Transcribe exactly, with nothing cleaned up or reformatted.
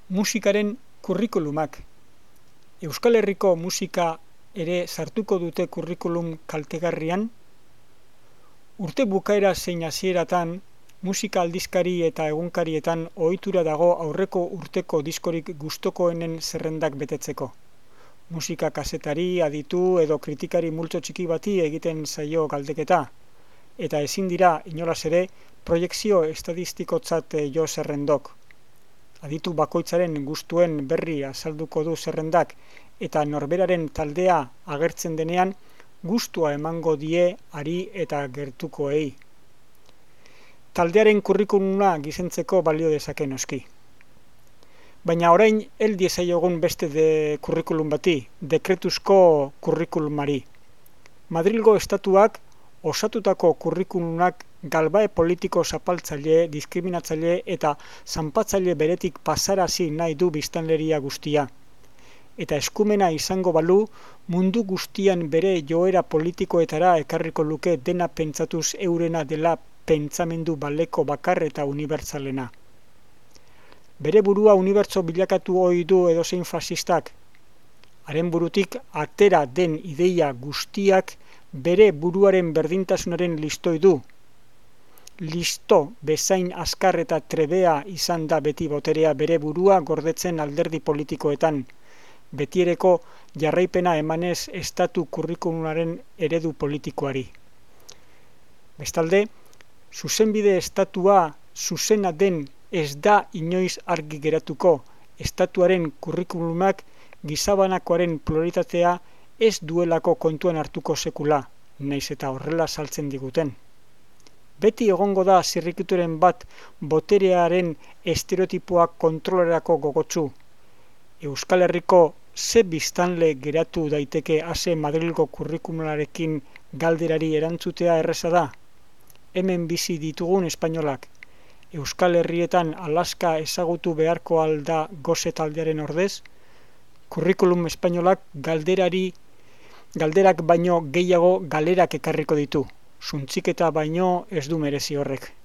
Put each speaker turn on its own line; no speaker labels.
Musikaren kurrikulumak. Euskal Herriko musika ere sartuko dute kurrikulum kaltegarrian? Urte bukaera zein hasieratan, musika aldizkari eta egunkarietan ohitura dago aurreko urteko diskorik gustokoenen zerrendak betetzeko. Musika kazetari, aditu edo kritikari multzo txiki bati egiten zaio galdeketa, eta ezin dira inolaz ere proiekzio estadistikotzat jo zerrendok. Aditu bakoitzaren gustuen berri azalduko du zerrendak eta norberaren taldea agertzen denean gustua emango die ari eta gertukoei. Taldearen kurrikuluma gizentzeko balio dezake noski. Baina orain hel diezaiogun beste de kurrikulum bati, dekretuzko kurrikulumari. Madrilgo estatuak osatutako kurrikulumak galbae politiko zapaltzaile, diskriminatzaile eta zanpatzaile beretik pasarazi nahi du biztanleria guztia. Eta eskumena izango balu, mundu guztian bere joera politikoetara ekarriko luke dena pentsatuz eurena dela pentsamendu baleko bakar eta unibertsalena. Bere burua unibertso bilakatu ohi du edozein fasistak. Haren burutik atera den ideia guztiak bere buruaren berdintasunaren listoi du. Listo bezain azkar eta trebea izan da beti boterea bere burua gordetzen alderdi politikoetan, betiereko jarraipena emanez estatu kurrikulumaren eredu politikoari. Bestalde, zuzenbide estatua zuzena den ez da inoiz argi geratuko, estatuaren kurrikulumak gizabanakoaren pluralitatea ez duelako kontuan hartuko sekula, naiz eta horrela saltzen diguten. Beti egongo da zirrikituren bat boterearen estereotipoak kontrolerako gogotsu. Euskal Herriko ze biztanle geratu daiteke ase Madrilgo kurrikulumararekin galderari erantzutea erreza da? Hemen bizi ditugun espainolak. Euskal Herrietan Alaska ezagutu beharko alda goze taldearen ordez? Kurrikulum espainolak galderari galderak baino gehiago galerak ekarriko ditu. Suntziketa baino ez du merezi horrek.